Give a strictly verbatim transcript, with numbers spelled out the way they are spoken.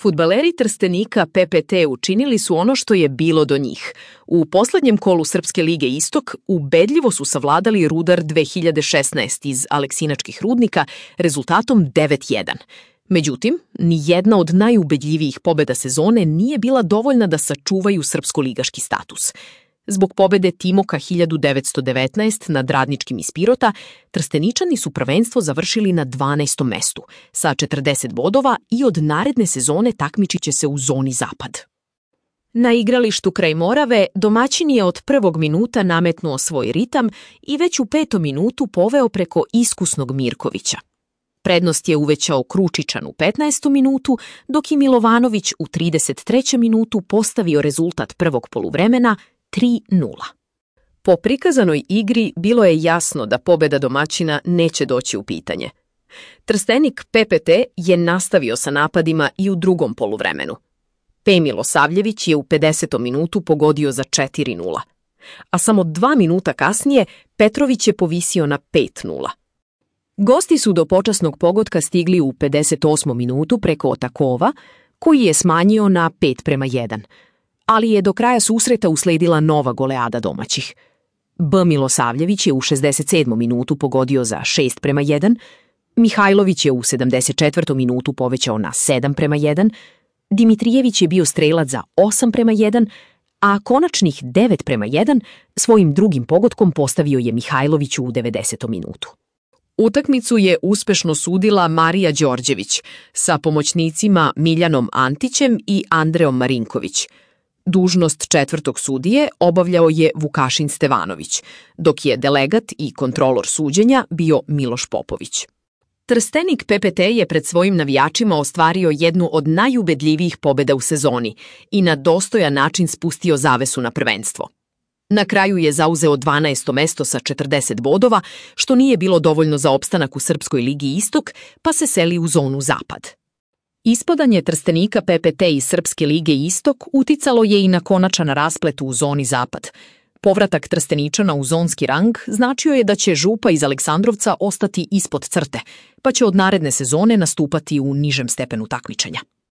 Fudbaleri Trstenika P P T učinili su ono što je bilo do njih. U poslednjem kolu Srpske lige Istok ubedljivo su savladali Rudar dve hiljade šesnaest iz Aleksinačkih rudnika rezultatom devet jedan. Međutim, ni jedna od najubedljivijih pobeda sezone nije bila dovoljna da sačuvaju srpsko-ligaški status. Zbog pobede Timoka hiljadu devetsto devetnaest nad Radničkim iz Pirota, Trsteničani su prvenstvo završili na dvanaestom mestu, sa četrdeset bodova i od naredne sezone takmičit će se u zoni Zapad. Na igralištu kraj Morave domaćin je od prvog minuta nametnuo svoj ritam i već u petom minutu poveo preko iskusnog Mirkovića. Prednost je uvećao Kručičan u petnaestom minutu, dok je Milovanović u trideset trećem minutu postavio rezultat prvog poluvremena tri nula. Po prikazanoj igri bilo je jasno da pobeda domaćina neće doći u pitanje. Trstenik P P T je nastavio sa napadima i u drugom poluvremenu. P. Milosavljević je u pedesetom minutu pogodio za četiri nula, a samo dva minuta kasnije Petrović je povisio na pet nula. Gosti su do počasnog pogotka stigli u pedeset osmom minutu preko Otakova, koji je smanjio na pet prema jedan, ali je do kraja susreta usledila nova goleada domaćih. B. Milosavljević je u šezdeset sedmom minutu pogodio za šest prema jedan, Mihajlović je u sedamdeset četvrtom minutu povećao na sedam prema jedan, Dimitrijević je bio strelac za osam prema jedan, a konačnih devet prema jedan svojim drugim pogodkom postavio je Mihajlović u devedesetom minutu. Utakmicu je uspešno sudila Marija Đorđević sa pomoćnicima Miljanom Antićem i Andreom Marinković. Dužnost četvrtog sudije obavljao je Vukašin Stevanović, dok je delegat i kontrolor suđenja bio Miloš Popović. Trstenik P P T je pred svojim navijačima ostvario jednu od najubedljivijih pobeda u sezoni i na dostojan način spustio zavesu na prvenstvo. Na kraju je zauzeo dvanaesto mesto sa četrdeset bodova, što nije bilo dovoljno za opstanak u Srpskoj ligi Istok, pa se seli u zonu Zapad. Ispadanje Trstenika P P T iz Srpske lige Istok uticalo je i na konačan rasplet u zoni Zapad. Povratak Trsteničana u zonski rang značio je da će Župa iz Aleksandrovca ostati ispod crte, pa će od naredne sezone nastupati u nižem stepenu takmičenja.